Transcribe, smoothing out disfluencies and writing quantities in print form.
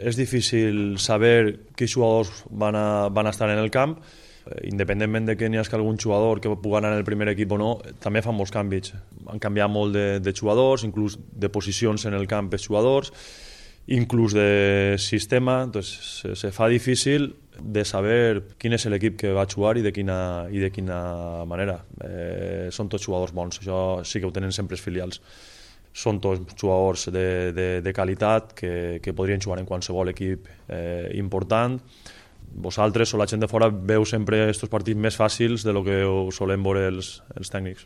És difícil saber quins jugadors van a estar en el camp, independentment de que n'hi hagi algun jugador que pugui anar en el primer equip o no, també fan molts canvis. Han canviat molt de jugadors, inclús de posicions en el camp els jugadors, inclús de sistema. Entonces, se fa difícil de saber quin és l'equip que va jugar i de quina manera. Són tots jugadors bons, això sí que ho tenen sempre els filials. Són tots jugadors de qualitat que podrien jugar en qualsevol equip important. Vosaltres o la gent de fora veu sempre aquests partits més fàcils de lo que ho solen veure els tècnics.